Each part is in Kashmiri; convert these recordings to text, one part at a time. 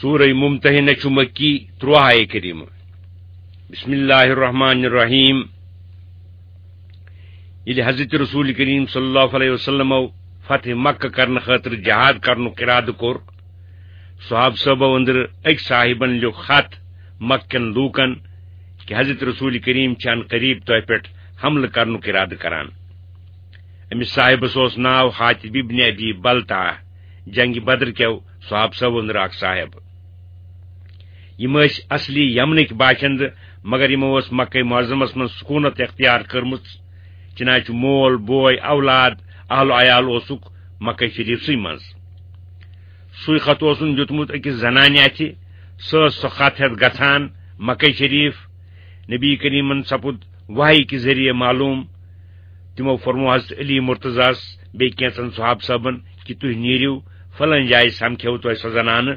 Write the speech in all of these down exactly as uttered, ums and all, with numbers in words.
سورہ ممتحنہ چھُ مکی، ترٛواہ آیہ کریمہ۔ بسم اللہ الرحمن الرحیم۔ ییٚلہِ حضرت رسول کریم صلی اللہ علیہ وسلمو فتح مکہ کرنہٕ خٲطرٕ جہاد کرنُک ارادٕ کوٚر، صحابہٕ صٲبو أنٛدرٕ أکۍ صاحبن لیوٚکھ خط مکہ کٮ۪ن لوٗکن کہِ حضرت رسول کریم چھِ ان قریب تۄہہِ پٮ۪ٹھ حملہٕ کرنُک ارادٕ کران۔ أمِس صاحبس اوس ناو حاطب ابن ابی بلتعہ، جنگِ بدر کیو صحابہٕ صٲبو أنٛدرٕ اکھ صاحب۔ یِم ٲسۍ اصلی یمنٕکۍ باشندٕ، مگر یِمو ٲس مکہ معظمس منٛز سکوٗنت اختیار کٔرمٕژ، چنانچہ مول، بوے، اولاد، اہل و عیال اوسُکھ مکہ شریفسٕے منٛز۔ سُے خط اوسُن دیُتمُت أکِس زنانہِ اَتھِ۔ سۄ ٲس سۄ خط ہٮ۪تھ گژھان مکہ شریف۔ نبی کریمن سپُد وحی کہِ ذٔریعہٕ معلوم۔ تِمو فرموو حضرت علی مرتضیٰ ہس بیٚیہِ کینٛژن صحابہٕ صٲبن کہِ تُہۍ نیٖرِو، فلٲنۍ جایہِ سمکھیو تۄہہِ سۄ زنانہٕ،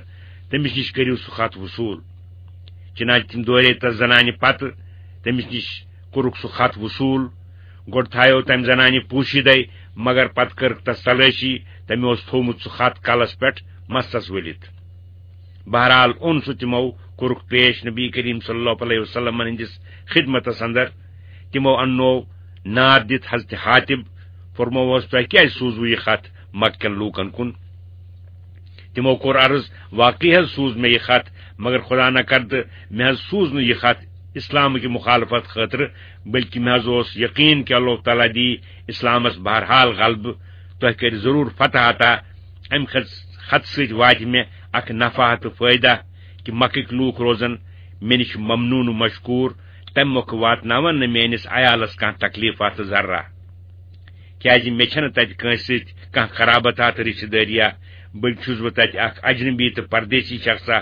تٔمِس نِش کٔرِو سُہ خط وصوٗل۔ چنانچہ تِم دورے تس زنانہِ پتہٕ، تٔمِس نِش کوٚرُکھ سُہ خط وصوٗل۔ گۄڈٕ تھایو تمہِ زنانہِ پوشیدے، مگر پتہٕ کٔرٕکھ تس تلٲشی، تٔمۍ اوس تھوومُت سُہ خط کلس پٮ۪ٹھ مستس ؤلِتھ۔ بہرحال اوٚن سُہ تِمو، کوٚرُکھ پیش نبی کریم صلی اللہ علیہ وسلمن ہٕنٛدِس خدمتس اندر۔ تِمو اننوو نار دِتھ حضرت حاطب، فرمووس، تۄہہِ کیازِ سوٗزوٕ یہِ خط مکہ کٮ۪ن لوٗکن کُن؟ تِمو کوٚر عرض، واقعی حض سوٗز مےٚ یہِ خط، مگر خدا نہ کردٕ مےٚ حض سوٗز نہٕ یہِ خط اسلامٕکہِ مخالفت خٲطرٕ، بلکہِ مےٚ حض اوس یقین کہِ اللہ تعالیٰ دی اسلامس بہرحال غلبہٕ، تۄہہِ کرِ ضروٗر فتح عطا۔ امہِ خط، خط سۭتۍ واتہِ مےٚ اکھ نفع تہٕ فٲیدہ کہِ مکٕکۍ لوٗکھ روزن مےٚ نِش ممنون و مشکور، تمہِ مۄکھٕ واتناون نہٕ میٲنِس عیالس کانٛہہ تکلیفا تہٕ ذرہ۔ کیازِ مےٚ چھنہٕ تتہِ کٲنٛسہِ سۭتۍ کانٛہہ قرابت تہٕ رشتہٕ دٲریا، بلکہِ چھُس بہٕ تتہِ اکھ اجنبی تہٕ پردیسی شخصا۔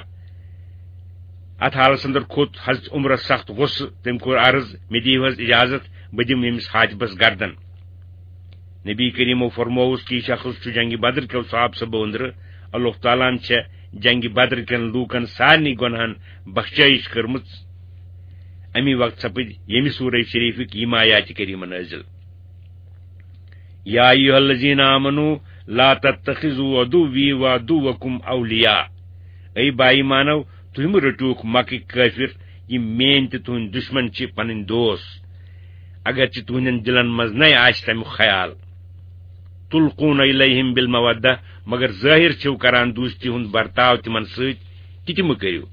اتھ حالس اندر کھوٚت حضرت عمرس سخت غصہٕ۔ تٔمۍ کوٚر عرض، مےٚ دِیِو حض اجازت، بہٕ دِمہٕ ییٚمِس حاطبس گردن۔ نبی کریمو فرمووُس کہِ یہِ شخص چھُ جنگِ بدر کیو صحابہٕ صٲبو أنٛدرٕ۔ اللہ تعالیٰ ہن چھےٚ جنگِ بدر کٮ۪ن لوٗکن سارنٕے گۄنہن بخشٲیش کٔرمٕژ۔ امی وقت سپٕدۍ ییٚمہِ سورہ شریفٕکۍ یِم آیاتِ کریمہ نٲزِل۔ یا ایھا الذین آمنوا لا تتخذوا عدوی و عدوکم اولیاء۔ اے با ایمانو، تُہۍ مہٕ رٔٹِوکھ مکٕکۍ کٲفِر، یِم میٲنۍ تہٕ تُہٕنٛدۍ دُشمن چھِ، پنٕنۍ دوس، اگرچہِ تُہٕنٛدٮ۪ن دِلن منٛز نے آسہِ تمیُک خیال۔ تلقون الیہم بالمودہ، مگر ظٲہِر چھِو کران دوستی ہُنٛد برتاو تِمن سۭتۍ، تہِ تہِ مہٕ کٔرِو۔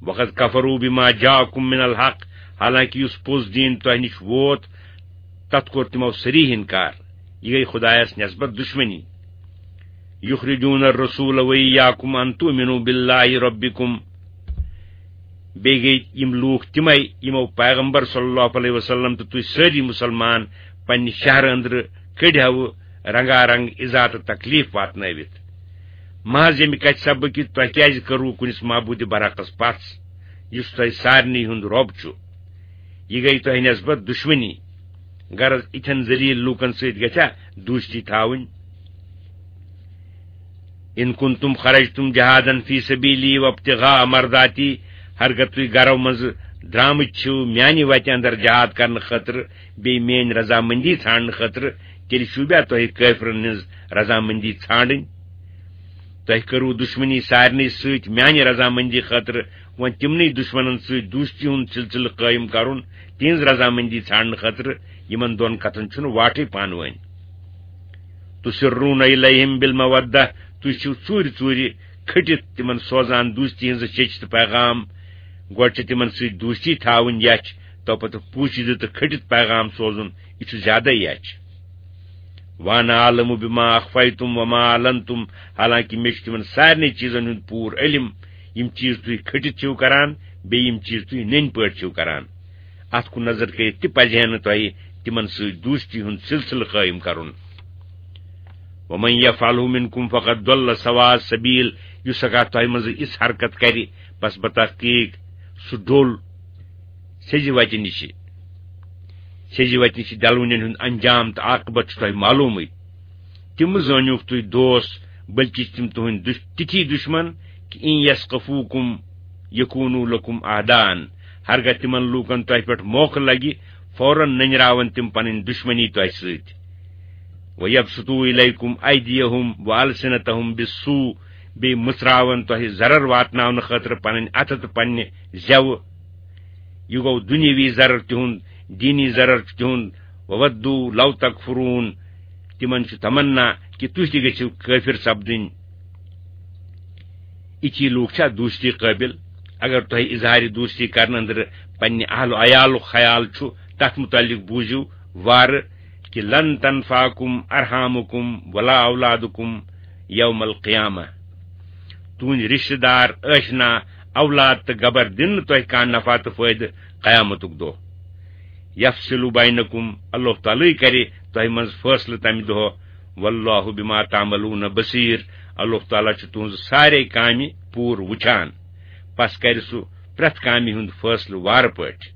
وقد کفروا بما جاءکم من الحق، حالانکہ یُس پوٚز دیٖن تۄہہِ نِش ووت، تتھ کوٚر تِمو صریح انکار۔ یہِ گٔے خدایس نسبت دشمنی۔ یخرجون الرسول و ایاکم ان تؤمنوا باللہ ربکم۔ بیٚیہِ گٔے یِم لوٗکھ تِمے، یِمو پیغمبر صلی اللہ علیہ وسلم تہٕ تُہۍ سٲری مُسلمان پننہِ شہرٕ أنٛدرٕ کٔڑۍ ہاوٕ رنگا رنگ ایذا تہٕ تکلیف واتنٲوِتھ۔ محض ییٚمہِ کتھِ سببہٕ کہِ تۄہہِ کیازِ کٔروٕ کُنِس معبوٗدِ برحقس پژھ، یُس تۄہہِ سارنٕے ہُنٛد رۄب چھُ؟ یہِ گٔے تۄہہِ نسبت دشمنی۔ غرض، یِتھٮ۪ن ذلیل لوٗکن سۭتۍ گژھیا دوستی تھاوٕنۍ؟ ان کنتم خرجتم جہادا فی سبیلی وابتغاء مرضاتی، ہرگاہ تُہۍ گرو منٛزٕ درامٕتۍ چھِو میانہِ وتہِ اندر جہاد کرنہٕ خٲطرٕ، بیٚیہِ میٲنۍ رضامندی ژھانڈنہٕ خٲطرٕ، تیٚلہِ چھُو بیا تۄہہِ کٲفرن ہٕنٛز رضامندی ژھانڈٕنۍ؟ تۄہہِ کٔروٕ دُشمنی سارنٕے سۭتۍ میانہِ رضامندی خٲطرٕ، وۄنۍ تِمنٕے دُشمنن سۭتۍ دوستی ہُنٛد سلسلہٕ قٲیِم کرُن، تِہنٛز رضامندی ژھانڈنہٕ خٲطرٕ، یِمن دۄن کتھن چھُنہٕ واٹھٕے پانہٕ وٲنۍ۔ تسرون الیہم بالمودہ، تُہۍ چھِو ژوٗرِ ژوٗرِ کھٔٹِتھ تِمن سوزان دوستی ہٕنٛز شیٚچھ تہٕ پیغام۔ گۄڈٕ چھِ تِمن سۭتۍ دوستی تھاوٕنۍ یَچھ، تو پتہٕ پوٗشِدٕ تہٕ کھٔٹِتھ پیغام سوزُن، یہِ چھُ زیادَے یَچھ۔ وانا اعلم بما اخفیتم وما اعلنتم، حالانکہ مےٚ چھُ تِمن سارنٕے چیٖزن ہُنٛد پوٗرٕ علم، یِم چیٖز تُہۍ کھٔٹِتھ چھِو کران، بیٚیہِ یِم چیٖز تُہۍ نٔنۍ پٲٹھۍ چھِو کران۔ اتھ کُن نظر کٔرِتھ تہِ پزِ ہے نہٕ تۄہہِ تِمن سۭتۍ دوستی ہُنٛد سلسلہٕ قٲیِم کرُن۔ ومن یفعلہ منکم فقد ضل سواء السبیل، یُس ہکا تۄہہِ منٛز یِژھ حرکت کرِ، بس بتحقیق سُہ ڈوٚل سیٚزِ وتہِ نِشہِ۔ سیٚزِ وتہِ نِشہِ ڈلوٕنٮ۪ن ہُنٛد انجام تہٕ عاقبت چھُ تۄہہِ معلومٕے۔ تِم زٲنِوکھ تُہۍ دوس، بلکہِ چھِ تِم تُہٕنٛدۍ دُش-، تِتھی دُشمن کہ ان یثقفوکم یکونوا لکم اعداء، ہرگاہ تِمن لوٗکن تۄہہِ پٮ۪ٹھ موقعہٕ لگہِ، فوراً نٔنراون تِم پنٕنۍ دُشمنی تۄہہِ سۭتۍ۔ ویبسطوا الیکم ایدیہم والسنتہم بالسوء، بیٚیہِ مُژراون تۄہہِ ضرر واتناونہٕ خٲطرٕ پنٕنۍ اَتھٕ تہٕ پننہِ زٮ۪وٕ۔ یہِ گوٚو دُنیاوی ضرر تِہُنٛد، دیٖنی ضرر چھُ تِہُنٛد۔ وَوَدُّوا لَوْ تَكْفُرُونَ۔ تِمن چھُ تمنا کہِ تُہۍ تہِ گٔژھِو کٲفِر سپدٕنۍ۔ یِتھی لوٗکھ چھا دوستی قٲبِل؟ اگر تۄہہِ اظہارِ دوستی کرنہٕ أنٛدرٕ پننہِ اہل و عیالُک خیال چھُ، تتھ متعلق بوٗزِو وارٕ کہِ لن تنفعکم ارحامکم ولا اولادکم یوم القیامہ۔ تُہنٛدۍ رشتہٕ دار، ٲشنا، اولاد تہٕ گبر دِن نہٕ تۄہہِ کانٛہہ نفع تہٕ فٲیدٕ قیامتُک دۄہ۔ یفصل بینکم، اللہ تعالیٰ کرِ تۄہہِ منٛز فٲصلہٕ تمہِ دۄہ۔ واللہ بما تعملون بصیر، اللہ تعالیٰ چھُ تُہنٛز سارے کامہِ پوٗرٕ وٕچھان۔ پس کرِ سُہ پرٛٮ۪تھ کامہِ ہُنٛد فٲصلہٕ وارٕ پٲٹھۍ۔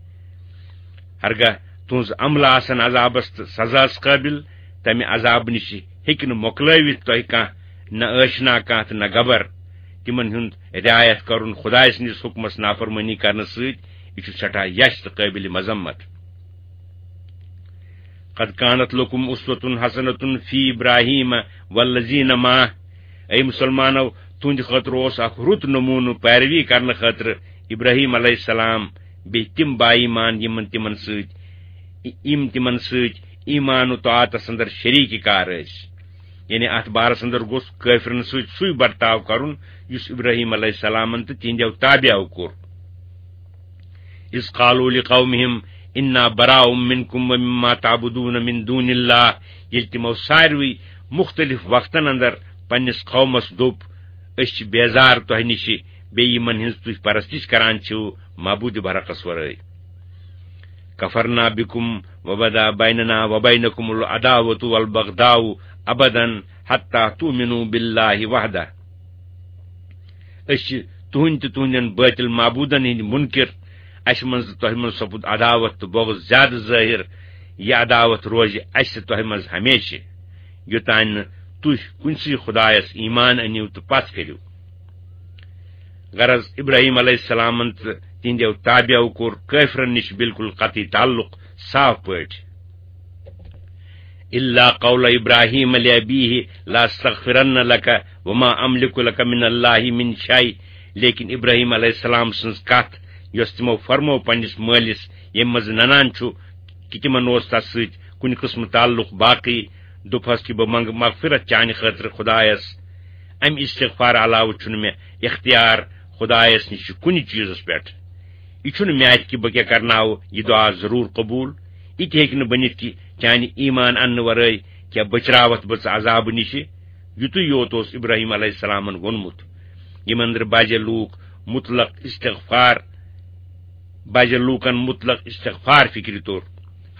ہرگاہ تُہنٛز عملہٕ آسن عذابس تہٕ سزاہس قٲبِل، تمہِ عذابہٕ نِش ہیٚکہِ نہٕ مۄکلٲوِتھ تۄہہِ کانٛہہ، نہ ٲشنا کانٛہہ تہٕ نہ گبر۔ تِمن ہُنٛد رعایت کرُن خدایہِ سٕنٛدِس حُکمس نافرمٲنی کرنہٕ سۭتۍ، یہِ چھُ سٮ۪ٹھاہ یَش تہٕ قٲبِلِ مذمت۔ قد كانت لكم أسوة حسنة في إبراهيم والذين معه۔ اے مسلمانو، تُہنٛدِ خٲطرٕ اوس اکھ رُت نموٗنہٕ پیروی کرنہٕ خٲطرٕ ابراہیم علیہ السلام، بیٚیہِ تِم با ایمان یِمن تِمن سۭتۍ، یِم تِمن سۭتۍ ایمان و طاعتس اندر شریٖک کار ٲسۍ۔ یعنی اتھ بارس اندر گوٚژھ کٲفرن سۭتۍ سُے برتاو کرُن، یُس ابراہیم علیہ السلامن تہٕ تِہنٛدیو تابعو کوٚر۔ اذ قالوا لقومهم انا براء منكم ومما تعبدون من دون الله، ییٚلہِ تِمو ساروٕے مُختٔلِف وقتن اندر پننِس قومس دوٚپ، أسۍ چھِ بیزار تۄہہِ نِشہِ، بیٚیہِ یِمن ہٕنٛز تُہۍ پرستش کران چھِو معبوٗدِ برحقس ورٲے۔ كفرنا بكم وبدا بيننا وبينكم العداوة والبغضاء أبدا حتى تؤمنوا بالله وحده۔ أسۍ چھِ تُہٕنٛدۍ تہٕ تُہٕنٛدٮ۪ن بٲطِل معبوٗدن ہٕنٛدۍ مُنکِر۔ اَسہِ منٛز تہٕ تۄہہِ منٛز سپُد عداوت تہٕ بغض زیادٕ ظٲہِر۔ یہِ عداوت روزِ اَسہِ تہٕ تۄہہِ منٛز ہمیشہِ، یوٚتام نہٕ تُہۍ کُنسٕے خدایس ایمان أنِو تہٕ پتھ کٔرِو۔ غرض، ابراہیم علیہ السلامن تہٕ تِہنٛدیو تابعو کوٚر کٲفرن نِش بالکل قطعی تعلق صاف پٲٹھۍ۔ الا قول ابراہیم لابیہ لاستغفرن لک وما املک لک من اللہ من شیء۔ لیکن ابراہیم علیہ السلام سٕنٛز کتھ، یۄس تِمو فرمٲو پننِس مٲلِس، ییٚمہِ منٛز ننان چھُ کہِ تِمن اوس تس سۭتۍ کُنہِ قٕسمہٕ تعلق باقٕے، دوٚپہس کہِ بہٕ منٛگہٕ مغفرت چانہِ خٲطرٕ خدایس، امہِ استغفار علاوٕ چھُنہٕ مےٚ اختیار خدایس نِش کُنہِ چیٖزس پٮ۪ٹھ۔ یہِ چھُنہٕ مےٚ اَتھِ کہِ بہٕ کیٛاہ کرناوٕ یہِ دُعا ضروٗر قبوٗل۔ یہِ تہِ ہیٚکہِ نہٕ بٔنِتھ کہِ چانہِ ایمان اننہٕ ورٲے کیٛاہ بٔچراوتھ بہٕ ژٕ عذابہٕ نِشہِ۔ یُتُے یوت اوس ابراہیم علیہ السلامن ووٚنمُت۔ یِم أنٛدرٕ باجے لوٗکھ مطلق استغفار، باجے لوٗکن مطلق استغفار فکرِ توٚر،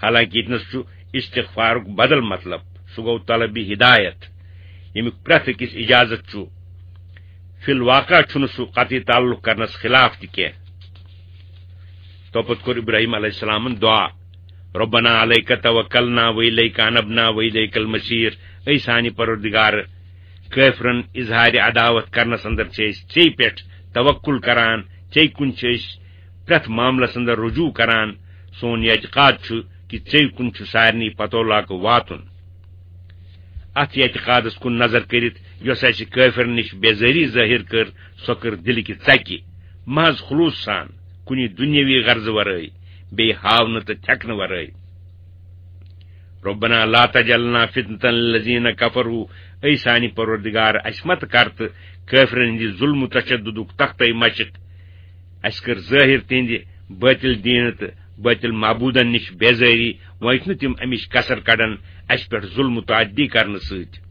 حالانکہ ییٚتنس چھُ استغفارُک بدل مطلب، سُہ گوٚو طلبِ ہدایت، ییٚمیُک پرٛٮ۪تھ أکِس اجازت چھُ۔ فی الواقع چھُنہٕ سُہ قطعی تعلق کرنس خلاف تہِ کینٛہہ۔ توپتہٕ کوٚر ابراہیم علیہ السلامن دعا، ربنا علیک توکلنا و الیک انبنا و الیک المصیر، اے سانہِ پروردگار، کٲفرن اظہارِ عداوت کرنس اندر چھِ أسۍ ژے پٮ۪ٹھ توکل کران، ژے کُن چھِ أسۍ پرٛٮ۪تھ معاملس اندر رجوع کران۔ سون یہِ اعتقاد چھُ کہِ ژے کُن چھُ سارنٕے پتولاکہٕ واتُن۔ اتھ اعتقادس کُن نظر کٔرِتھ، یۄس اسہِ کٲفرن نِش بیزٲری ظٲہِر کٔر، سۄ کٔر دِلہٕ کہِ ژکہِ، محض خلوص سان، کُنہِ دُنیاوی غرضہٕ ورٲے، بیٚیہِ ہاونہٕ تہٕ تھٮ۪کنہٕ ورٲے۔ ربنا لا تجعلنا فتنة للذین کفروا، اے سانہِ پروردگار، اسہِ مت کر تہٕ کٲفرن ہٕنٛدِ ظلم و تشددُک تختَے مشق۔ اسہِ کٔر ظٲہِر تِہنٛدِ بٲطِل دیٖنہٕ تہٕ بٲطِل معبوٗدن نِش بیزٲری، وۄنۍ چھِنہٕ تِم امِچ کسر کڑان اسہِ پٮ۪ٹھ ظلم و تعدی کرنہٕ سۭتۍ۔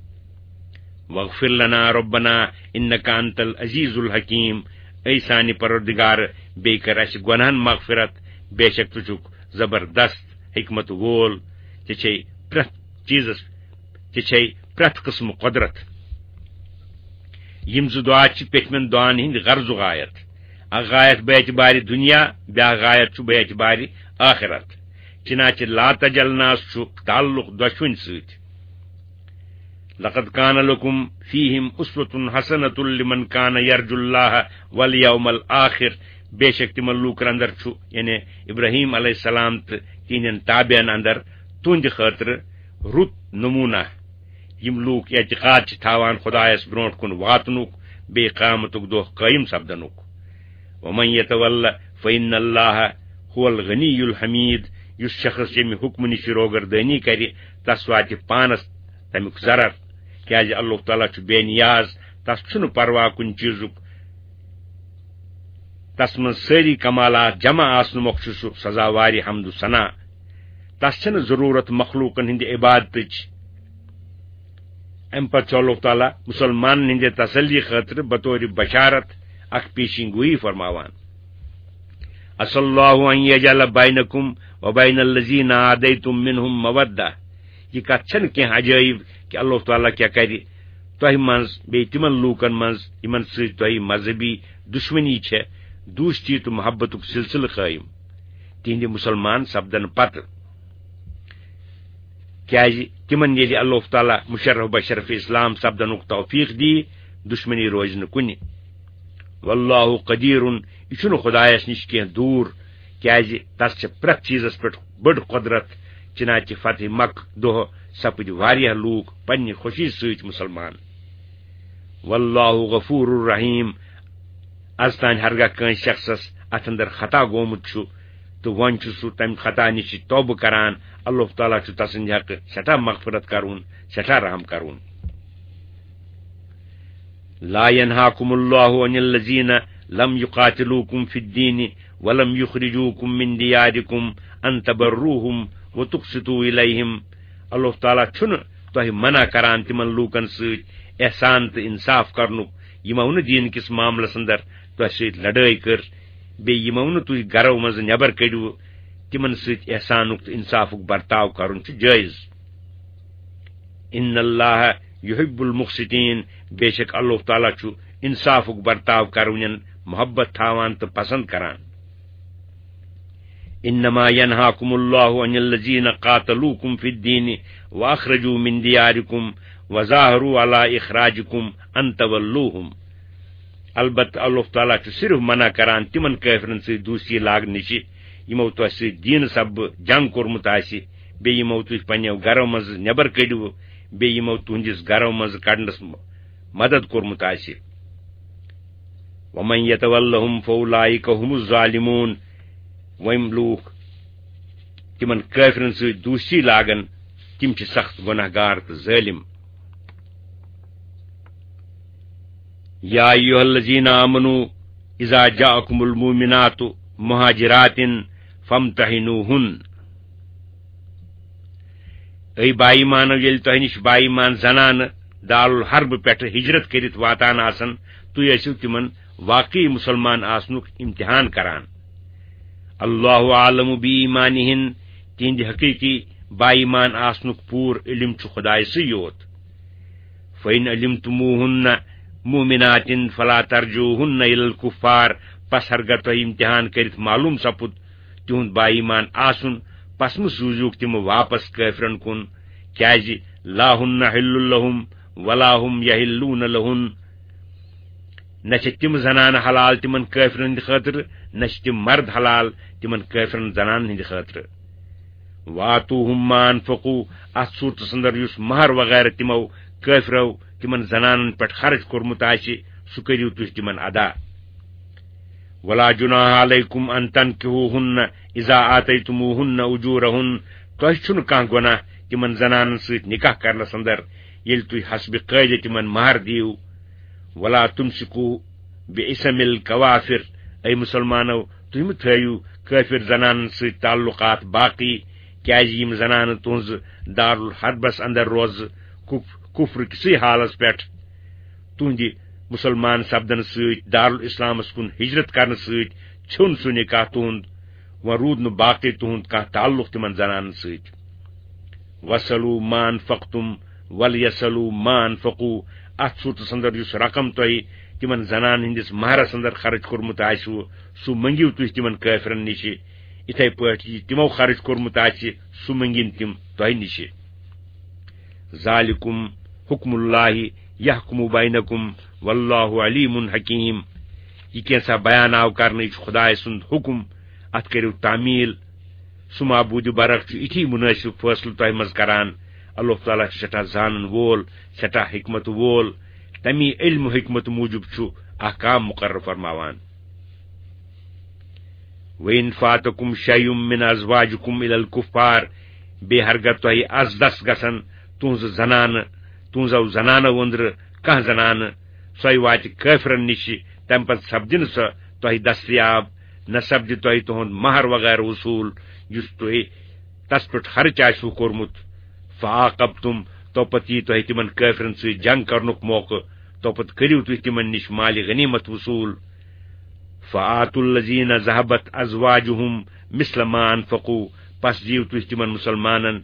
واغفر لنا ربنا انک انت العزیز الحکیم، اے سانہِ پروردگار، بیٚیہِ کر اسہِ گۄناہن مغفرت، بے شک ژٕ چھُکھ زبردست حکمت وول، ژےٚ چھے پرٛٮ۪تھ چیٖزس، ژےٚ چھے پرٛٮ۪تھ قٕسمہٕ قۄدرت۔ یِم زٕ دُعا چھِ پیٚٹھمٮ۪ن دُعاہن ہٕنٛدۍ غرضُک غایت۔ اکھ غایت بے اعتبارِ دُنیا، بیٛاکھ غایت چھُ بے اعتبارِ آخرت۔ چنانچہ لا تجعلناہس چھُ تعلق دۄشوٕنۍ سۭتۍ۔ لقد کان لکم فیہم اسوۃ حسنۃ لمن کان یرجو اللہ والیوم الآخر، بے شک تِمن لوٗکن اندر چھُ، یعنی ابراہیم علیہ السلام تہٕ تِہنٛدٮ۪ن تابعن اندر، تُہنٛدِ خٲطرٕ رُت نمونہ۔ یِم لوٗکھ اعتقاد چھِ تھاوان خدایس برونٛٹھ کُن واتنُک، بیٚیہِ قیامتُک دۄہ قٲیِم سپدنُک۔ ومن یتول فإن اللہ هو الغنی الحمید، یُس شخص ییٚمہِ حُکمہٕ نِش روگردٲنی کرِ، تس واتہِ پانس تمیُک ضرر، کیازِ اللہ تعالیٰ چھُ بے نیاز، تس چھُنہٕ پرواہ کُنہِ چیٖزُک، تس منٛز سٲری کمالات جمع آسنہٕ مۄکھ چھُ سُہ سزاوارِ حمد و ثنا۔ تس چھنہٕ ضروٗرت مخلوقن ہٕنٛدِ عبادتٕچ۔ امہِ پتہٕ چھُ اللہ تعالیٰ مسلمانن ہٕنٛدِ تسلی خٲطرٕ بطور بشارت اکھ پیشین گویی فرماوان۔ عسى الله أن يجعل بينكم وبين الذين عاديتم منهم مودة۔ یہِ کتھ چھنہٕ کینٛہہ عجٲیب کہِ اللہ تعالیٰ کیٛاہ کرِ تۄہہِ منٛز بیٚیہِ تِمن لوٗکن منٛز یِمن سۭتۍ تۄہہِ مذہبی دُشمنی چھےٚ، دوستی تہٕ محبتُک سلسلہٕ قٲیِم تِہنٛدِ مسلمان سپدن پتہٕ۔ کیازِ تِمن ییٚلہِ اللہ تعالیٰ مشرف بشرف اسلام سپدنُک توفیق دی، دُشمنی روزِ نہٕ کُنہِ۔ واللہ قدیر، یہِ چھُنہٕ خدایس نِش کینٛہہ دوٗر، کیازِ تس چھِ پرٛٮ۪تھ چیٖزس پٮ۪ٹھ بٔڑ قۄدرت۔ چنانچہ فتح مکہ دۄہ سپٕدۍ واریاہ لوٗکھ پننہِ خوشی سۭتۍ مسلمان۔ واللہ غفور الرحیم، از تانۍ ہرگاہ کٲنٛسہِ شخصس اتھ اندر خطا گوٚمُت چھُ تہٕ وۄنۍ چھُ سُہ تمہِ خطا نِش توبہٕ کران، اللہ تعالیٰ چھُ تسٕنٛدِ حقہٕ سٮ۪ٹھاہ مغفرت کرُن، سٮ۪ٹھاہ رحم کرُن۔ لا ينهاكم الله عن الذين لم يقاتلوكم في الدين ولم يخرجوكم من دياركم أن تبروهم وتقسطوا إليهم۔ اللہ تعالیٰ چھُنہٕ تۄہہِ منع کران تِمن لوٗکن سۭتۍ احسان تہٕ انصاف کرنُک، یِمو نہٕ دیٖن کِس معاملس اندر تۄہہِ سۭتۍ لڑٲے کٔر، بیٚیہِ یِمو نہٕ تُہۍ گرو منٛزٕ نٮ۪بر کٔڑِو، تِمن سۭتۍ احسانُک تہٕ انصافُک برتاو کرُن چھُ جٲیز۔ ان اللہ یحب المقسطین، بے شک اللہ تعالیٰ چھُ انصافُک برتاو کرونٮ۪ن محبت تھاوان تہٕ پسند کران۔ انما ينهاكم الله عن الذين قاتلوكم في الدين واخرجوا من دياركم وظاهروا على اخراجكم ان تولوهم۔ البتہ اللہ تعالیٰ چھُ صرف منع کران تِمن کٲفرن سۭتۍ دوستی لاگنہٕ نِش، یِمو تۄہہِ سۭتۍ دیٖنہٕ سببہٕ جنگ کوٚرمُت آسہِ، بیٚیہِ یِمو تُہۍ پننیو گرو منٛز نٮ۪بر کٔڑِو، بیٚیہِ یِمو تُہنٛدِس گرو منٛز کڑنس م-، مدد کوٚرمُت آسہِ۔ ومن يتولهم فأولئك هم الظالمون۔ وۄنۍ لوٗکھ تِمن کٲفرن سۭتۍ دوستی لاگن، تِم چھِ سخت گۄناہ گار تہٕ ظٲلم۔ يا أيها الذين آمنوا إذا جاءكم المؤمنات مهاجرات فامتحنوهن۔ اے با ایمانو، ییٚلہِ تۄہہِ نِش با ایمان زنانہٕ دارالحرب پٮ۪ٹھٕ ہجرت کٔرِتھ واتان آسن، تُہۍ ٲسِو تِمن واقعی مسلمان آسنُک امتحان کران۔ اللہ اعلم بی ایمانہن، تِہنٛدِ حقیقی با ایمان آسنُک پوٗرٕ علم چھُ خدایسٕے یوت۔ فإن علمتموهن مؤمنات فلا ترجعوهن إلى الكفار، پس ہرگاہ تۄہہِ امتحان کٔرِتھ معلوم سپُد تِہُنٛد با ایمان آسُن، پس مہٕ سوٗزِوکھ تِم واپس کٲفرن کُن، کیازِ لا هن حل لهم ولا هم يحلون لهن۔ نہ چھِ تِم زنانہٕ حلال تِمن کٲفرن ہٕنٛدِ خٲطرٕ، نہ چھِ تِم مرد حلال تِمن کٲفرن زنانن ہٕنٛدِ خٲطرٕ۔ وآتوهم ما انفقوا، اتھ صورتس اندر یُس مہر وغیرہ تِمو کٲفرو تِمن زنانن پٮ۪ٹھ خرچ کوٚرمُت آسہِ، سُہ کٔرِو تُہۍ تِمن ادا۔ ولا جناح عليكم أن تنكحوهن إذا آتيتموهن أجورهن، تۄہہِ چھُنہٕ کانٛہہ گۄناہ تِمن زنانن سۭتۍ نکاح کرنس اندر، ییٚلہِ تُہۍ حسب قٲعدٕ تِمن مہر دِیِو۔ ولا تمسكوا بعصم الكوافر، اے مسلمانو، تُہۍ مہٕ تھٲیِو کٲفر زنانن سۭتۍ تعلقات باقی، کیازِ یِم زنانہٕ تُہنٛزٕ دارالحربس اندر روزٕ کُف-، کفر کِسٕے حالس پٮ۪ٹھ۔ تُہنٛدِ مسلمان سپدنہٕ سۭتۍ، دارالاسلامس کُن ہجرت کرنہٕ سۭتۍ ژھیوٚن سُہ نکاح تُہنٛد، وۄنۍ روٗد نہٕ باقٕے تُہنٛد کانٛہہ تعلق تِمن زنانن سۭتۍ۔ وَاسْأَلُوا مَا أَنفَقْتُمْ وَلْيَسْأَلُوا مَا أَنفَقُوا۔ اتھ صورتس اندر یُس رقم تۄہہِ تِمن زنانن ہٕنٛدِس مہرس اندر خرٕچ کوٚرمُت آسِوٕ، سُہ مٔنگِو تُہۍ تِمن کٲفرن نِشہِ۔ اِتھے پٲٹھۍ یہِ تِمو خرٕچ کوٚرمُت آسہِ، سُہ مٔنگِن تِم تۄہہِ نِشہِ۔ ذالکم حکم اللہ یحکم بینکم واللہ علیم حکیم۔ یہِ کینٛژھا بیان آو کرنہٕ، یہِ چھُ خدایہِ سُنٛد حُکم، اتھ کٔرِو تعمیل۔ سُہ معبوٗدِ برحق چھُ یِتھی مُنٲسِب فٲصلہٕ تۄہہِ منٛز کران۔ اللہ تعالیٰ چھُ سٮ۪ٹھاہ زانن وول، سٮ۪ٹھاہ حکمت وول۔ تمی علم و حکمت موجب چھُ احکام مقرر فرماوان۔ وَإِنْ فَاتَكُمْ شَيْءٌ مِنْ أَزْوَاجِكُمْ إِلَى الْكُفَّارِ، بیٚیہِ ہرگاہ تۄہہِ از دس گژھن تُہنٛزٕ زنانہٕ، تُہنٛزو زنانو أنٛدرٕ کانٛہہ زنانہٕ، سۄے واتہِ کٲفرن نِش، تمہِ پتہٕ سپدِ نہٕ سۄ تۄہہِ دستیاب، نہ سپدِ تۄہہِ تُہنٛد مہر وغیرہ وصوٗل، یُس تۄہہِ تس پٮ۪ٹھ خرچ آسِوٕ کوٚرمُت۔ فَعَاقَبْتُمْ، تو پتہٕ یی تۄہہِ تِمن کٲفرن سۭتۍ جنگ کرنُک موقعہٕ، تو پتہٕ کٔرِو تُہۍ تِمن نِش مالِ غنیمت وصوٗل۔ فَآتُوا الَّذِينَ ذَهَبَتْ أَزْوَاجُهُمْ مِثْلَ مَا أَنْفَقُوا، پس دِیِو تُہۍ تِمن مسلمانن،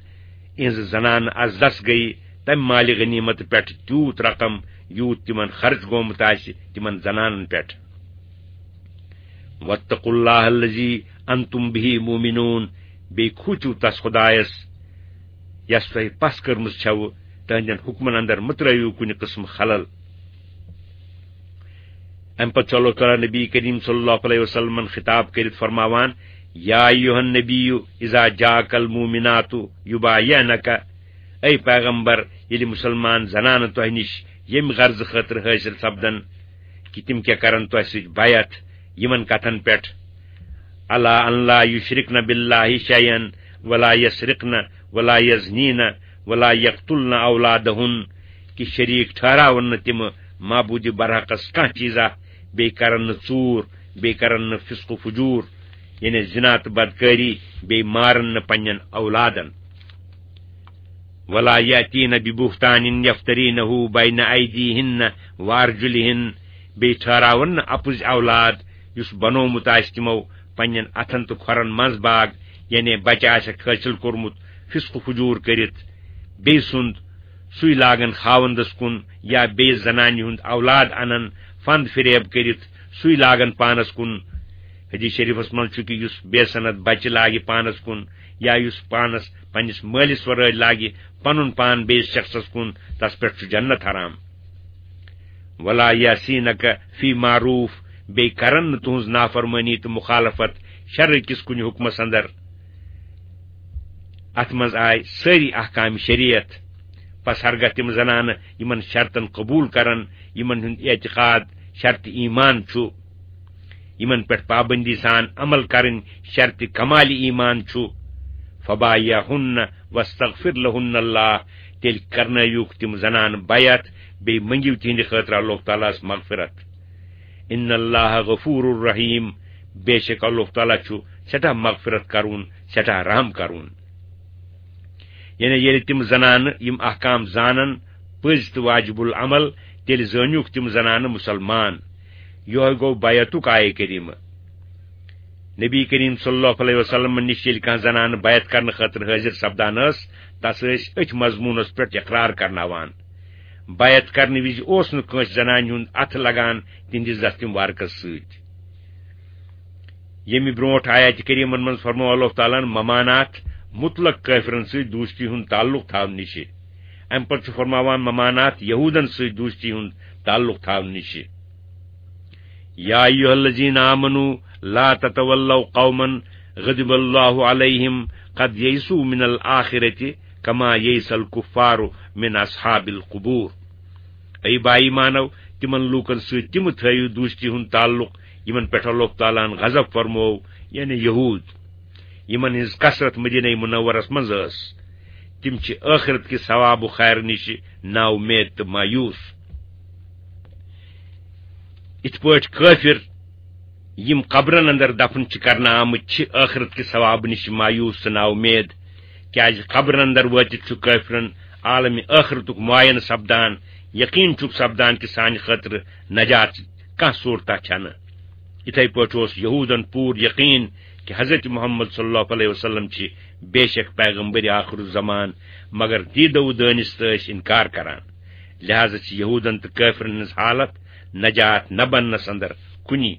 یِہٕنٛزٕ زنانہٕ از دس گٔیہِ، تمہِ مالِ غنیمت پٮ۪ٹھ تیوٗت رقم، یوٗت تِمن خرچ گوٚمُت آسہِ تِمن زنانن پٮ۪ٹھ۔ وَاتَّقُوا اللَّهَ الَّذِي أَنْتُمْ بِهِ مُؤْمِنُونَ، بیٚیہِ کھوٗژِو تس خدایس، یس تۄہہِ پس کٔرمٕژ چھَوٕ، تہنٛدٮ۪ن حُکمن اندر مہ ترٲوِو کُنہِ قٕسمہٕ خلل۔ امہِ پتہٕ چھُ اللہ تعالیٰ نبی کریم صلی اللہ علیہ وسلمن خطاب کٔرِتھ فرماوان، یا ایھا النبی اذا جاءک المؤمنات یبایعنک، اے پیغمبر، ییٚلہِ مسلمان زنانہٕ تۄہہِ نِش ییٚمہِ غرضہٕ خٲطرٕ حٲصِل سپدن کہِ تِم کیٛاہ کرن تۄہہِ سۭتۍ بیعت، یِمن کتھن پٮ۪ٹھ، علی ان لا یشرکن باللہ شیئا ولا یسرقن ولا یزنین ولا یقتلن اولادہن، کہِ شریک ٹھہراون نہٕ تِم معبود برحقس کانٛہہ چیٖزا، بیٚیہِ کرن نہٕ ژوٗر، بیٚیہِ کرن نہٕ فسق و فجور، یعنی زنا تہٕ بدکٲری، بیٚیہِ مارن نہٕ پننٮ۪ن اولادن۔ ولا یاتین ببہتان یفترینہ بین ایدیہن وارجلہن، بیٚیہِ ٹھہراون نہٕ اپُز اولاد یُس بنومُت آسہِ تِمو پننٮ۪ن اتھن تہٕ کھۄرن منٛز باگ، یعنی بچہِ آسٮ۪کھ حٲصِل کوٚرمُت فسق و فجور کٔرِتھ، بیٚیہِ سُنٛد سُے لاگن خاوندس کُن یا بیٚیِس زنانہِ ہُنٛد اولاد انن فند فریب کٔرِتھ سُے لاگن پانس کُن۔ حدیث شریفس منٛز چھُ کہِ یُس بے سند بچہِ لاگہِ پانس کُن یا یُس پانس پننِس مٲلِس ورٲے لاگہِ پنُن پان بیٚیِس شخصس کُن، تس پٮ۪ٹھ چھُ جنت حرام۔ ولا یعصینک فی معروف، بیٚیہِ کرن نہٕ تُہنٛز نافرمٲنی تہٕ مخالفت شرعہٕ کِس کُنہِ حُکمس اندر۔ اتھ منٛز آے سٲری احکام شریعت۔ پس ہرگاہ تِم زنانہٕ یِمن شرطن قبول کرن، یِمن ہُنٛد اعتقاد شرط ایمان چھُ، یِمن پٮ۪ٹھ پابندی سان عمل کرٕنۍ شرط کمال ایمان چھُ، فبایعہن واستغفر لہن اللہ، تیٚلہِ کرنٲیِوکھ تِم زنانہٕ بیعت، بیٚیہِ مٔنگِو تِہنٛدِ خٲطرٕ اللہ تعالیٰ ہس مغفرت۔ ان اللہ غفور رحیم، بے شک اللہ تعالیٰ چھُ سٮ۪ٹھاہ مغفرت کرون، سٮ۪ٹھاہ رحم کرون۔ یعنی ییٚلہِ تِم زنانہٕ یِم احکام زانن پٔزۍ تہٕ واجب العمل، تیٚلہِ زٲنِوکھ تِم زنانہٕ مسلمان۔ یِہوٚے گوٚو بیعتُک آیہِ کریٖمہٕ۔ نبی کریم صلی اللہ علیہ وسلم نِش ییٚلہِ کانٛہہ زنانہٕ بیعت کرنہٕ خٲطرٕ حٲضِر سپدان ٲس، تس ٲسۍ أتھۍ مضموٗنس پٮ۪ٹھ اقرار کرناوان۔ بیعت کرنہٕ وِزِ اوس نہٕ کٲنٛسہِ زنانہِ ہُنٛد اتھٕ لگان تِہنٛدِس دستہِ مبارکس سۭتۍ۔ ییٚمہِ برونٛٹھ آیاتِ کریٖمن منٛز فرموو اللہ تعالیٰ ہن ممانات مطلق کٲفرن سۭتۍ دوستی ہُنٛد تعلق تھاونہٕ نِشہِ۔ امہِ پتہٕ چھُ فرماوان ممانات یہوٗدن سۭتۍ دوستی ہُنٛد تعلق تھاونہٕ نِشہِ۔ یا ایھا الذین آمنوا لا تتولوا قوما غضب اللہ علیہم قد یئسوا من الآخرۃ کما یئس الکفار من اصحاب القبور۔ اے با ایمانو، تِمن لوٗکن سۭتۍ تِم تھٲیِو دوستی ہُنٛد تعلق یِمن پٮ۪ٹھ اللہ تعالیٰ ہن غضب فرموو، یعنی یہوٗد، یِمن ہٕنٛز کثرت مدینہ منورس منٛز ٲس۔ تِم چھِ ٲخرت کہِ ثواب و خیر نِش نا اُمید تہٕ مایوس۔ یِتھ پٲٹھۍ کٲفِر یِم قبرن اندر دفن چھِ کرنہٕ آمٕتۍ، چھِ ٲخرت کہِ ثواب نِش مایوس تہٕ نا اُمید، کیازِ قبرن اندر وٲتِتھ چھُ کٲفرن عالمِ ٲخرتُک معاینہٕ سپدان، یقین چھُکھ سپدان کہِ سانہِ خٲطرٕ نجات کانٛہہ صوٗرتہ چھنہٕ۔ یِتھے پٲٹھۍ اوس یہوٗدن پوٗرٕ یقین کہِ حضرت محمد صلی اللہ علیہ وسلم چھِ بے شک پیغمبر آخر الزمان، مگر دیٖدو دٲنِس تہٕ ٲسۍ انکار کران۔ لہذا چھِ یہوٗدن تہٕ کٲفرن ہٕنٛز حالت نجات نہ بننس اندر کُنی۔